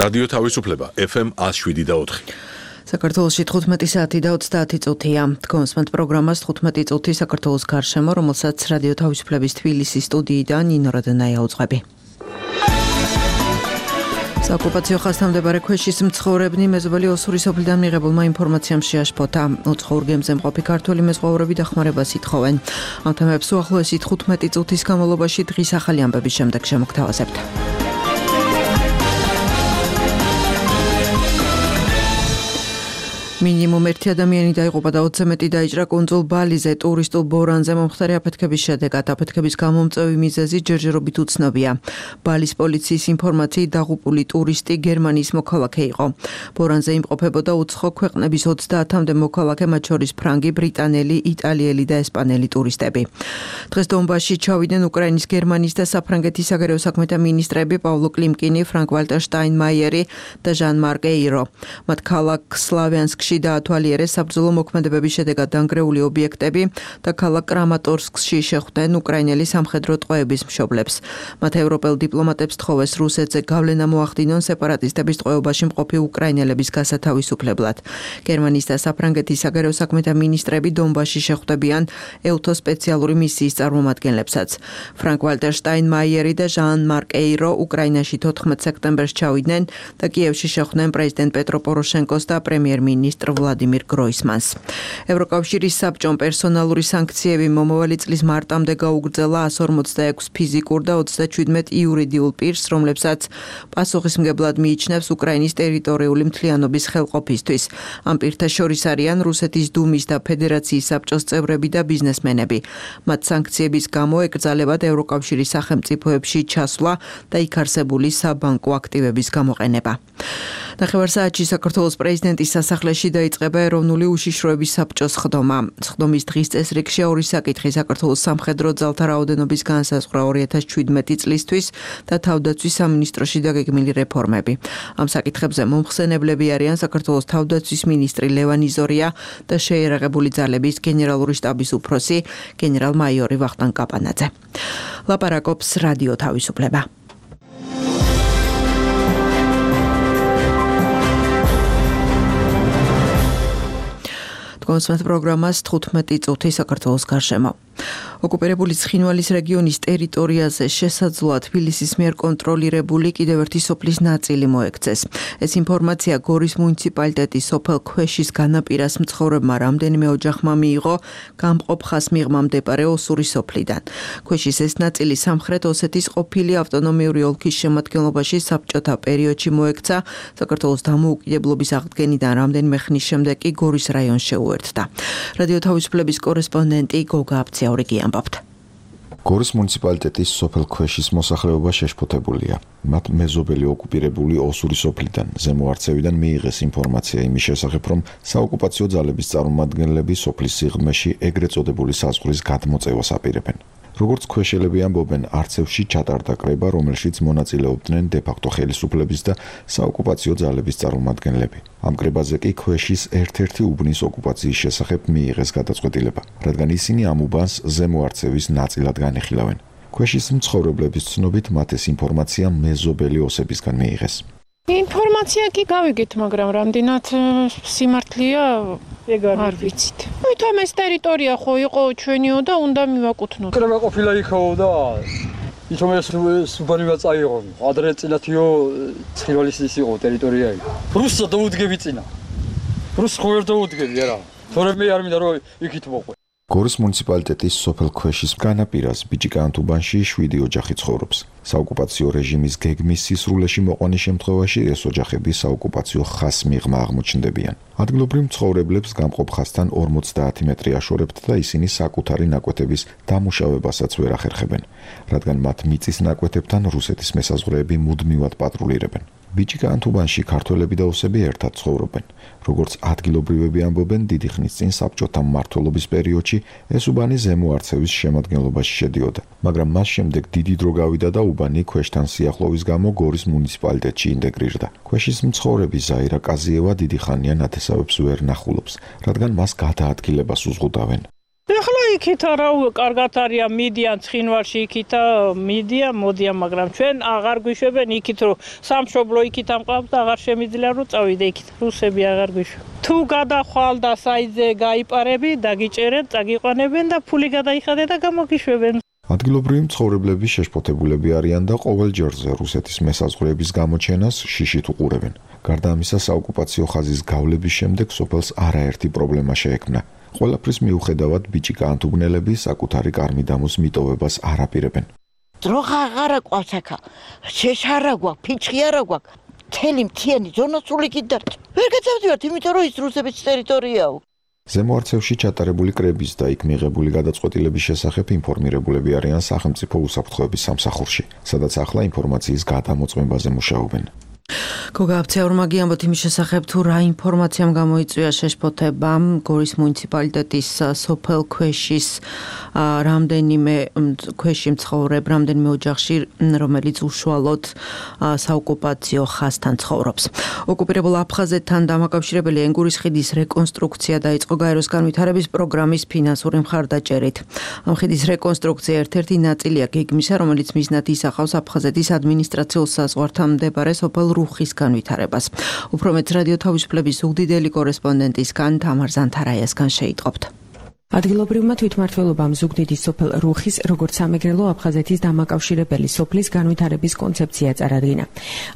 რადიო თავისუფლება FM 107.4. საქართველოში 15 საათი და 30 წუთია. Თქვენს პროგრამას 15 წუთი საქართველოს გარშემო, რომელსაც რადიო თავისუფლების თბილისის სტუდიიდან ნინო რადანაია უძღვები. საოკუპაციო ხაზთან მდებარე ქვეშის მცხოვრებნი მეზობელი ოსური სოფლიდან მიღებულმა ინფორმაციამ შეაშფოთა. უცხოურ გემზე მყოფი ქართველი მეზღვაურები დახმარებას ითხოვენ. ამ თემებს უახლოესი 15 წუთის განმავლობაში დღის ახალი ამბების შემდეგ შემოგთავაზებთ. მინიმუმ 1 ადამიანი დაიღუპა და 20-ზე მეტი დაიჭრა კუნძულ ბალიზე ტურისტულ ბორანზე მომხდარი აფეთქების შედეგად. აფეთქების გამომწვევი მიზეზი ჯერჯერობით უცნობია. ბალის პოლიციის ინფორმაციით დაღუპული ტურისტი გერმანიის მოქალაქე იყო. ბორანზე იმყოფებოდა უცხო ქვეყნების 30-მდე მოქალაქე, მათ შორის ფრანგი, ბრიტანელი, იტალიელი და ესპანელი ტურისტები. დღეს დონბასში ჩავიდნენ უკრაინის, გერმანიის და საფრანგეთის საგარეო საქმეთა მინისტრები პავლო კლიმკინი, ფრანკ-ვალტერ შტაინმაიერი და ჟან-მარკ ეირო. მათ ქალაქ სლავიანსკში დაათვალიერეს საბრძოლო მოქმედებების შედეგად დანგრეული ობიექტები და ქალაქ კრამატორსკში შეხვდნენ უკრაინელი სამხედრო ტყვეების მშობლებს. მათ ევროპელ დიპლომატებს თხოვეს რუსეთზე გავლენა მოახდინონ სეპარატისტების ტყვეობაში მყოფი უკრაინელების გასათავისუფლებლად. გერმანიის და საფრანგეთის საგარეო საქმეთა მინისტრები დონბასში შეხვდებიან EUTO სპეციალური მისიის წარმომადგენლებსაც. ფრანკ-ვალტერ შტაინმაიერი და ჟან-მარკ ეირო უკრაინაში 14 სექტემბერს ჩავიდნენ და კიევში შეხვდნენ პრეზიდენტ პეტრო პოროშენკოს და პრემიერ-მინისტრ ვლადიმირ გროისმანს. ევროკავშირის საბჭომ პერსონალური სანქციები მომავალი წლის მარტამდე გაუგრძელა 146 ფიზიკურ და 37 იურიდიულ პირს, რომლებსაც პასუხისმგებლად მიიჩნევს უკრაინის ტერიტორიული მთლიანობის ხელყოფისთვის. ამ პირთა შორის არიან რუსეთის დუმის და ფედერაციის საბჭოს წევრები და ბიზნესმენები. მათ სანქციების გამო ეკრძალებათ ევროკავშირის სახელმწიფოებში ჩასვლა და იქ არსებული საბანკო აქტივების გამოყენება. ნახევარსაათში საქართველოს პრეზიდენტის სასახლეში დაიწყება ეროვნული უშიშროების საბჭოს სხდომა. სხდომის დღის წესრიგში ორი საკითხი: საქართველოს სამხედრო ძალთა რაოდენობის განსაზღვრა 2017 წლისთვის და თავდაცვის სამინისტროში დაგეგმილი რეფორმები. ამ საკითხებზე მომხსენებლები არიან საქართველოს თავდაცვის მინისტრი ლევან იზორია და შეიარაღებული ძალების გენერალური შტაბის უფროსი გენერალ-მაიორი ვახტანგ კაპანაძე. ლაპარაკობს რადიო თავისუფლება. კონსმეთ პროგრამას 15 წუთი საქართველოს გარშემო. ოკუპირებული ცხინვალის რეგიონის ტერიტორიაზე შესაძლოა თბილისის მიერ კონტროლირებული კიდევ ერთი სოფლის ნაწილი მოექცეს. ეს ინფორმაცია გორის მუნიციპალიტეტის სოფელ ქვეშის განაპირას მცხოვრებმა რამდენიმე ოჯახმა მიიღო გამყოფ ხაზ მიღმა მდებარე ოსური სოფლიდან. ქვეშის ეს ნაწილი სამხრეთ ოსეთის ყოფილი ავტონომიური ოლქის შემადგენლობაში საბჭოთა პერიოდში მოექცა. საქართველოს დამოუკიდებლობის აღდგენიდან რამდენიმე ხნის შემდეგ კი გორის რაიონს შეუერთდა. რადიო თავისუფლების კორესპონდენტი გოგა აბციაური ამბობთ. გორის მუნიციპალიტეტის სოფელ ქვეშის მოსახლეობა შეშფოთებულია. მათ მეზობელი ოკუპირებული ოსური სოფლიდან ზემოარცევიდან მიიღეს ინფორმაცია იმის შესახებ, რომ საოკუპაციო ძალების წარმომადგენლები სოფლის სიღრმეში ეგრეთ წოდებული საზღვრის გადმოწევას აპირებენ. როგორც ქვეშელები ამბობენ, არცევში ჩატარდა კრება, რომელშიც მონაწილეობდნენ დე-ფაქტო ხელისუფლების და საოკუპაციო ძალების წარმომადგენლები. ამ კრებაზე კი ქვეშის ერთ-ერთი უბნის ოკუპაციის შესახებ მიიღეს გადაწყვეტილება, რადგან ისინი ამ უბანს ზემოარცევის ნაწილად განიხილავენ. ქვეშის მცხოვრებლების ცნობით მათ ეს ინფორმაცია მეზობელი ოსებისგან მიიღეს. ინფორმაცია კი გავიგეთ, მაგრამ რამდენად სიმართლეა არ ვიცით. თვითონ ეს ტერიტორია ხო იყო ჩვენიო და უნდა მივაკუთვნოთ. კრება ყოფილა იქაო და ითომ ეს უბანივა წაიღო. ადრე წინათიო ცხინვალის ის იყო ტერიტორია. რუსსა დაუდგები წინა. რუსს ხო ვერ დაუდგები არა. თორემ მე არ მინდა რომ იქით მოყვე. გორის მუნიციპალიტეტის სოფელ ქვეშის განაპირას ბიჭიკანთუბანში 7 ოჯახი ცხოვრობს. საოკუპაციო რეჟიმის გეგმის სისრულეში მოყვანის შემთხვევაში ეს ოჯახები საოკუპაციო ხაზს მიღმა აღმოჩნდებიან. ადგილობრივ მცხოვრებლებს გამყოფ ხაზთან 50 მეტრი აშორებთ და ისინი საკუთარი ნაკვეთების დამუშავებასაც ვერ ახერხებენ, რადგან მათ მიწის ნაკვეთებთან რუსეთის მესაზღვრეები მუდმივად პატრულირებენ. ბიჭიკანთუბანში ქართველები და ოსები ერთად ცხოვრობენ. როგორც ადგილობრივები ამბობენ, დიდი ხნის წინ საბჭოთა მმართველობის პერიოდში ეს უბანი ზემოარცევის შემადგენლობაში შედიოდა, მაგრამ მას შემდეგ დიდი დრო გავიდა და უბანი ქვეშთან სიახლოვის გამო გორის მუნიციპალიტეტში ინტეგრირდა. ქვეშის მცხოვრები ზაირა კაზიევა დიდი ხანია ნათესავებს ვერ ნახულობს, რადგან მას გადაადგილებას უზღუდავენ. ეხლა იქითა რა კარგად არიან მიდიან ცხინვალში იქითა მიდიან მოდიან მაგრამ ჩვენ აღარ გვიშვებენ იქით რომ სამშობლო იქით ამყავს და აღარ შემიძლია რომ წავიდე იქით რუსები აღარ გვიშვებენ თუ გადახვალ და საიძე გაიპარები დაგიჭერენ წაგიყვანებენ და ფული გადაიხადე და გამოგიშვებენ ადგილობრივი მცხოვრებლები შეშფოთებულები არიან და ყოველ ჯერზე რუსეთის მესაზღვრეების გამოჩენას შიშით უყურებენ. გარდა ამისა, საოკუპაციო ხაზის გავლების შემდეგ სოფელს არაერთი პრობლემა შეექმნა. ყველაფრის მიუხედავად ბიჭიკაანთუგნელები საკუთარი კარმიდამოს მიტოვებას არ აპირებენ. დროხა აღარა ყავს აქა. შეშ არა გვაქვს, ფიჩხი არა გვაქვს. მთელი მთიანი ზონა სული კიდართ. ვერ გეცავდივართ, იმიტომ რომ ის რუსების ტერიტორიაა. ზემო არცევში ჩატარებული კრების და იქ მიღებული გადაწყვეტილების შესახებ ინფორმირებულები არიან სახელმწიფო უსაფრთხოების სამსახურში, სადაც ახლა ინფორმაციის გადამოწმებაზე მუშაობენ. გოგა აფცეურმაგი ამბობთ იმის შესახებ თუ რა ინფორმაციამ გამოიწვია შეშფოთება გორის მუნიციპალიტეტის სოფელ ქვეშის რამდენიმე ქვეში მცხოვრებ რამდენიმე ოჯახში რომელიც უშუალოდ საოკუპაციო ხაზთან ცხოვრობს. ოკუპირებულ აფხაზეთთან დამაკავშირებელი ენგურის ხიდის რეკონსტრუქცია დაიწყო გაეროს განვითარების პროგრამის ფინანსური მხარდაჭერით. ამ ხიდის რეკონსტრუქცია ერთ-ერთი ნაწილია გეგმისა, რომელიც მიზნად ისახავს აფხაზეთის ადმინისტრაციულ საზღვართან მდებარე სოფელ რუხის განვითარებას. უფრო მეტ რადიო თავისუფლების ზუგდიდელი კორესპონდენტისგან თამარ ზანთარაიასგან შეიტყობთ. ადგილობრივმა თვითმმართველობამ ზუგდიდის სოფელ რუხის როგორც სამეგრელო აფხაზეთის დამაკავშირებელი სოფლის განვითარების კონცეფცია წარადგინა.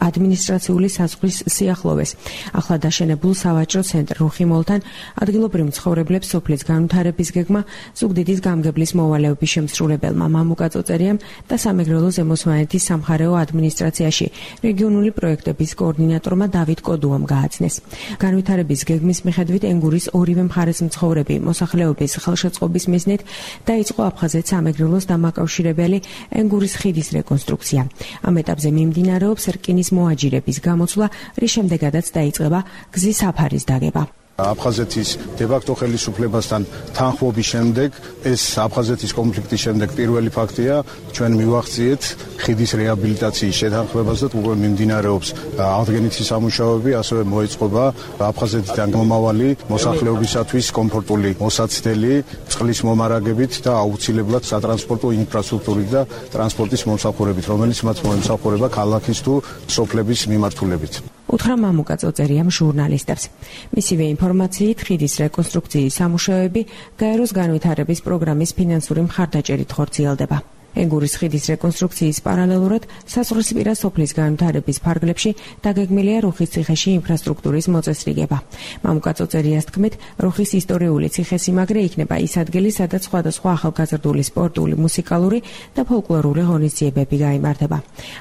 ადმინისტრაციული საზღვრის სიახლოვეს ახლა დაშენებულ სავაჭრო ცენტრ რუხიმოლთან ადგილობრივ მცხოვრებლებს სოფლის განვითარების გეგმა ზუგდიდის გამგებლის მოვალეობის შემსრულებელმა მამუკა წოწერიამ და სამეგრელო ზემოსვანეთის სამხარეო ადმინისტრაციაში რეგიონული პროექტების კოორდინატორმა დავით კოდუამ გააცნეს. განვითარების გეგმის მიხედვით ენგურის ორივე მხარეს მცხოვრები მოსახლეობის ხელშეწყობის მიზნით დაიწყო აფხაზეთ სამეგრელოს დამაკავშირებელი ენგურის ხიდის რეკონსტრუქცია. ამ ეტაპზე მიმდინარეობს რკინის მოაჯირების გამოცვლა, რის შემდეგაც დაიწყება გზის საფარის დაგება. აფხაზეთის დე-ფაქტო ხელისუფლებასთან თანხმობის შემდეგ ეს აფხაზეთის კონფლიქტის შემდეგ პირველი ფაქტია ჩვენ მივახციეთ ხიდის რეაბილიტაციის შეთანხმებას და უკვე მიმდინარეობს აღდგენითი სამუშაოები, ასევე მოეწყობა აფხაზეთიდან მომავალი მოსახლეობისათვის კომფორტული მოსაცდელი წყლის მომარაგებით და აუცილებლად სატრანსპორტო ინფრასტრუქტურით და ტრანსპორტის მომსახურებით, რომელიც მათ მოემსახურება ქალაქის თუ სოფლების მიმართულებით. უთხრა მამუკა წოწერიამ ჟურნალისტებს. მისივე ინფორმაციით ხიდის რეკონსტრუქციის სამუშაოები გაეროს განვითარების პროგრამის ფინანსური მხარდაჭერით ხორციელდება. ენგურის ხიდის რეკონსტრუქციის პარალელურად საზღვრისპირა სოფლის განვითარების ფარგლებში დაგეგმილია რუხის ციხეში ინფრასტრუქტურის მოწესრიგება. მამუკა წოწერიას თქმით, რუხის ისტორიული ციხესიმაგრე იქნება ის ადგილი, სადაც სხვადასხვა ახალგაზრდული სპორტული, მუსიკალური და ფოლკლორული ღონისძიებები გაიმართება.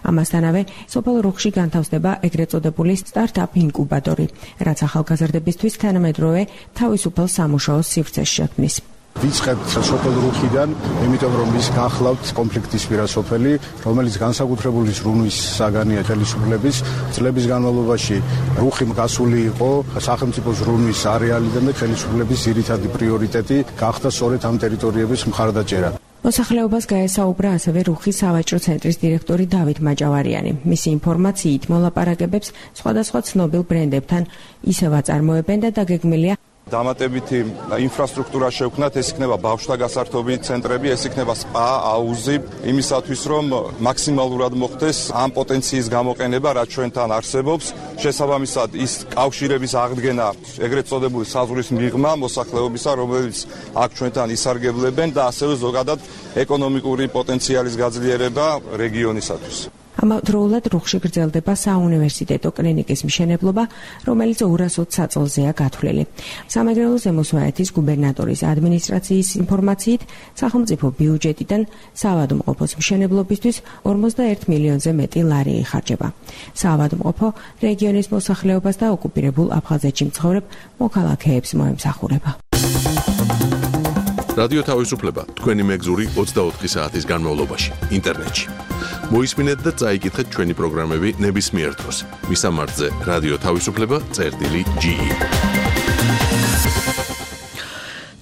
ამასთანავე, სოფელ რუხში განთავსდება ეგრეთ წოდებული სტარტაპ ინკუბატორი, რაც ახალგაზრდებისთვის თანამედროვე თავისუფალ სამუშაოს სივრცეს შექმნის. ვიწყებთ სოფელ რუხიდან, იმიტომ რომ ის გახლავთ კონფლიქტისპირა სოფელი, რომელიც განსაკუთრებული ზრუნვის საგანია ხელისუფლების წლების განმავლობაში. რუხი გასული იყო სახელმწიფო ზრუნვის არეალიდან და ხელისუფლების ძირითადი პრიორიტეტი გახდა სწორედ ამ ტერიტორიების მხარდაჭერა. მოსახლეობას გაესაუბრა ასევე რუხის სავაჭრო ცენტრის დირექტორი დავით მაჭავარიანი. მისი ინფორმაციით მოლაპარაკებებს სხვადასხვა ცნობილ ბრენდებთან ისევ აწარმოებენ და დაგეგმილია დამატებითი ინფრასტრუქტურა შევქმნათ, ეს იქნება ბავშვთა გასართობი ცენტრები, ეს იქნება სპა, აუზი, იმისათვის რომ მაქსიმალურად მოხდეს ამ პოტენციის გამოყენება, რაც ჩვენთან არსებობს. შესაბამისად, ის კავშირების აღდგენა, ეგრეთ წოდებული საზღვრის მიღმა მოსახლეობისა, რომელიც აქ ჩვენთან ისარგებლებენ და ასევე ზოგადად ეკონომიკური პოტენციალის გაძლიერება რეგიონისათვის. ამავდროულად რუხში გრძელდება საუნივერსიტეტო კლინიკის მშენებლობა, რომელიც 220 საწოლზეა გათვლილი. სამეგრელო ზემოსვანეთის გუბერნატორის ადმინისტრაციის ინფორმაციით, სახელმწიფო ბიუჯეტიდან საავადმყოფოს მშენებლობისთვის 41 მილიონზე მეტი ლარი იხარჯება. საავადმყოფო რეგიონის მოსახლეობას და ოკუპირებულ აფხაზეთში მცხოვრებ მოქალაქეებს მოემსახურება. რადიო თავისუფლება თქვენი მეგზური 24 საათის განმავლობაში ინტერნეტში. მოისმინეთ და წაიკითხეთ ჩვენი პროგრამები ნებისმიერ დროს. მისამართზე რადიო თავისუფლება.ge.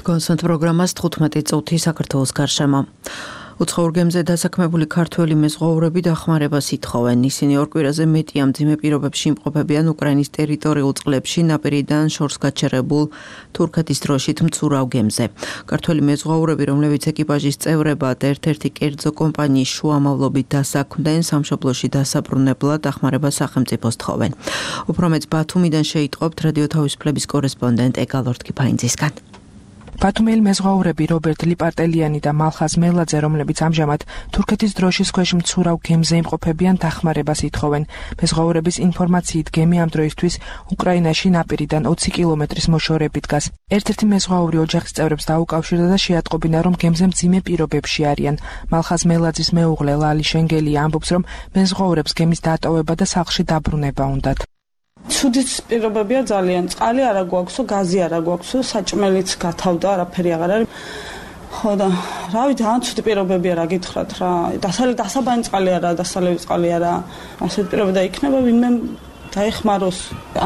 გონსანთ პროგრამას 15 წუთი საქართველოს გარშემო. უცხოურ გემზე დასაქმებული ქართველი მეზღვაურები დახმარებას ითხოვენ. ისინი ორ კვირაზე მეტი ამ მძიმე პირობებში იმყოფებიან უკრაინის ტერიტორიულ წყლებში ნაპირიდან შორს გაჩერებულ თურქეთის დროშით მცურავ გემზე. ქართველი მეზღვაურები, რომლებიც ეკიპაჟის წევრებად ერთ-ერთი კერძო კომპანიის შუამავლობით დასაქმდნენ, სამშობლოში დასაბრუნებლად დახმარებას სახელმწიფოს თხოვენ. უფრო მეტ ბათუმიდან შეიტყობთ რადიო თავისუფლების კორესპონდენტ ეგალორთ კიფაინძისგან. ბათუმელი მეზღვაურები რობერტ ლიპარტელიანი და მალხაზ მელაძე, რომლებიც ამჟამად თურქეთის დროშის ქვეშ მცურავ გემზე იმყოფებიან, დახმარებას ითხოვენ. მეზღვაურების ინფორმაციით გემი ამ დროისთვის უკრაინაში ნაპირიდან 20 კილომეტრის მოშორებით დგას. ერთ-ერთი მეზღვაური ოჯახის წევრებს დაუკავშირდა და შეატყობინა, რომ გემზე მძიმე პირობებში არიან. მალხაზ მელაძის მეუღლე ლალი შენგელი ამბობს, რომ მეზღვაურებს გემის დატოვება და სახლში დაბრუნება უნდათ. ცუდის პირობებია ძალიან. წყალი არა გვაქვსო, გაზი არა გვაქვსო, საჭმელიც გათავდა, არაფერი აღარ არის. ხო და რავი, ძალიან ცუდი პირობებია, რა გითხრათ რა. დასაბანი წყალი არა, დასალევი წყალი არა. ასეთი პირობები და იქნება ვინმე დაეხმაროს.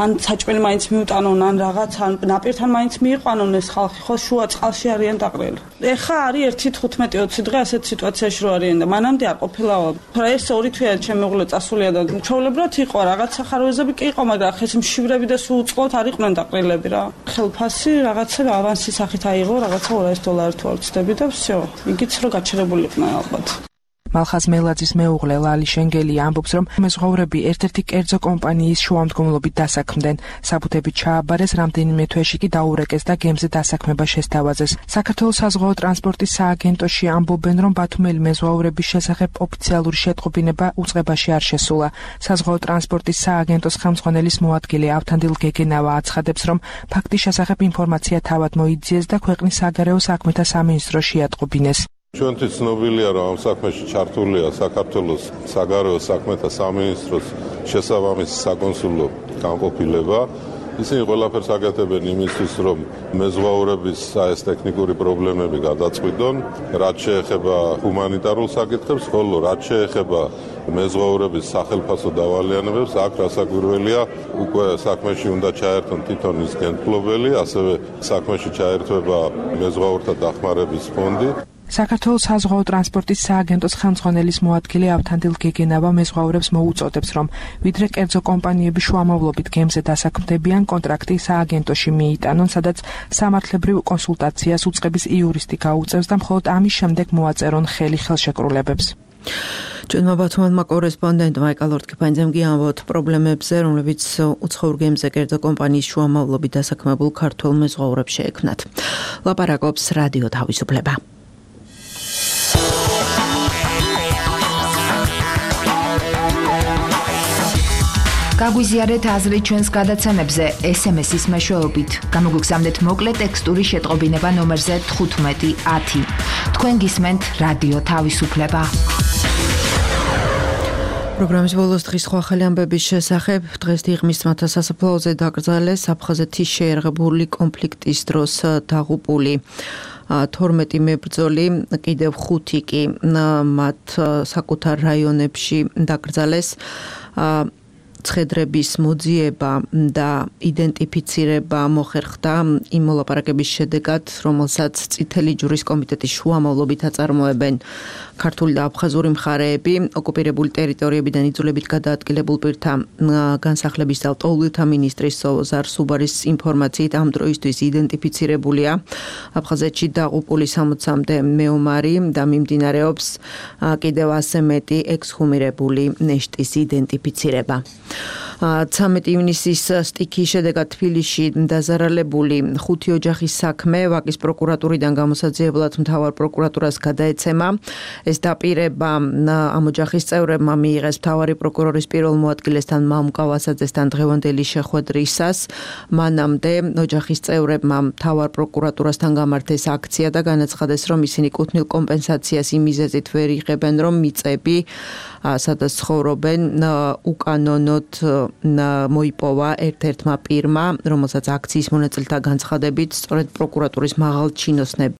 ან საჭმელი მაინც მიუტანონ, ან რაღაც, ან ნაპირთან მაინც მიიყვანონ ეს ხალხი, ხო, შუა წყალში არიან დაყრილი. ეხა არის 1-15-20 დღე ასეთ სიტუაციაში რო არიან და მანამდე არ ყოფილაო. ეს 2 თვეა ჩემი მეუღლე წასულია და ჩვეულებრივად იყო რაღაც სახაროებები კი იყო, მაგრამ ხეს მშივრები და სულ უწყლოდ არ იყვნენ დაყრილები რა. ხელფასი რაღაცა ავანსის სახით აიღო, რაღაცა $200 თუ არ ვცდები და всё. იგიც რო გაჩერებული იყვნენ ალბათ. მალხაზ მელაძის მეუღლე ლალი შენგელი ამბობს, რომ მეზღვაურები ერთ-ერთი კერძო კომპანიის შუამდგომლობით დასაქმდნენ. საბუთები ჩააბარეს, რამდენიმე თვეში კი დაურეკეს და გემზე დასაქმება შესთავაზეს. საქართველოს საზღვაო ტრანსპორტის სააგენტოში ამბობენ, რომ ბათუმელი მეზღვაურების შესახებ ოფიციალური შეტყობინება უწყებაში არ შესულა. საზღვაო ტრანსპორტის სააგენტოს ხელმძღვანელის მოადგილე ავთანდილ გეგენავა აცხადებს, რომ ფაქტის შესახებ ინფორმაცია თავად მოიძიეს და ქვეყნის საგარეო საქმეთა სამინისტრო შეატყობინეს. ჩვენთვის ცნობილია, რომ ამ საქმეში ჩართულია საქართველოს საგარეო საქმეთა სამინისტროს შესაბამისი საკონსულო განყოფილება. ისინი ყველაფერს აკეთებენ იმისთვის, რომ მეზღვაურების ეს ტექნიკური პრობლემები გადაწყვიტონ, რაც შეეხება ჰუმანიტარულ საკითხებს, ხოლო რაც შეეხება მეზღვაურების სახელფასო დავალიანებებს, აქ რასაკვირველია, უკვე საქმეში უნდა ჩაერთონ თვითონ ის გენდფლობელი, ასევე საქმეში ჩაერთვება მეზღვაურთა დახმარების ფონდი. საქართველოს საზღვაო ტრანსპორტის სააგენტოს ხელმძღვანელის მოადგილე ავთანდილ გეგენავა მეზღვაურებს მოუწოდებს, რომ ვიდრე კერძო კომპანიები შუამავლობით გემზე დასაქმდებიან, კონტრაქტი სააგენტოში მიიტანონ, სადაც სამართლებრივ კონსულტაციას უწყების იურისტი გაუწევს და მხოლოდ ამის შემდეგ მოაწერონ ხელი ხელშეკრულებებს. ჩვენმა ბათუმელმა კორესპონდენტმა ეგალორთ კიფაინძემ გიამბოთ პრობლემებზე, რომლებიც უცხოურ გემზე კერძო კომპანიის შუამავლობით დასაქმებულ ქართველ მეზღვაურებს შეექმნათ. ლაპარაკობს რადიო თავისუფლება. გაგვიზიარეთ აზრი ჩვენს გადაცემებზე SMS-ის მეშვეობით. გამოგვიგზავნეთ მოკლე ტექსტური შეტყობინება ნომერზე 1510. თქვენ გისმენთ რადიო თავისუფლება. პროგრამის ბოლოს დღის სხვა ახალი ამბების შესახებ. დღეს დიღმის ძმათა სასაფლაოზე დაკრძალეს აფხაზეთის შეერაღებული კონფლიქტის დროს დაღუპული 12 მებრძოლი, კიდევ 5 კი მათ საკუთარ რაიონებში დაკრძალეს. ცხედრების მოძიება და იდენტიფიცირება მოხერხდა იმ მოლაპარაკების შედეგად, რომელსაც წითელი ჯვრის კომიტეტის შუამავლობით აწარმოებენ ქართული და აფხაზური მხარეები, ოკუპირებული ტერიტორიებიდან იძულებით გადაადგილებულ პირთა განსახლების და ლტოლვილთა მინისტრის სოზარ სუბარის ინფორმაციით ამ დროისთვის იდენტიფიცირებულია აფხაზეთში დაღუპული 60-მდე მეომარი და მიმდინარეობს კიდევ ასე მეტი ექსჰუმირებული ნეშტის იდენტიფიცირება. 13 ივნისის სტიქის შედეგად თბილისში დაზარალებული 5 ოჯახის საქმე ვაკის პროკურატურიდან გამოსაძიებლად მთავარ პროკურატურას გადაეცემა. ეს დაპირება ამ ოჯახის წევრებმა მიიღეს მთავარი პროკურორის პირველ მოადგილესთან მამუკა ვასაძესთან დღევანდელი შეხვედრისას. მანამდე ოჯახის წევრებმა მთავარ პროკურატურასთან გამართეს აქცია და განაცხადეს, რომ ისინი კუთვნილ კომპენსაციას იმ მიზეზით ვერ იღებენ, რომ მიწები სადაც ცხოვრობენ უკანონოდ მოიპოვა ერთ-ერთმა პირმა, რომელსაც აქციის მონაწილეთა განცხადებით სწორედ პროკურატურის მაღალჩინოსნები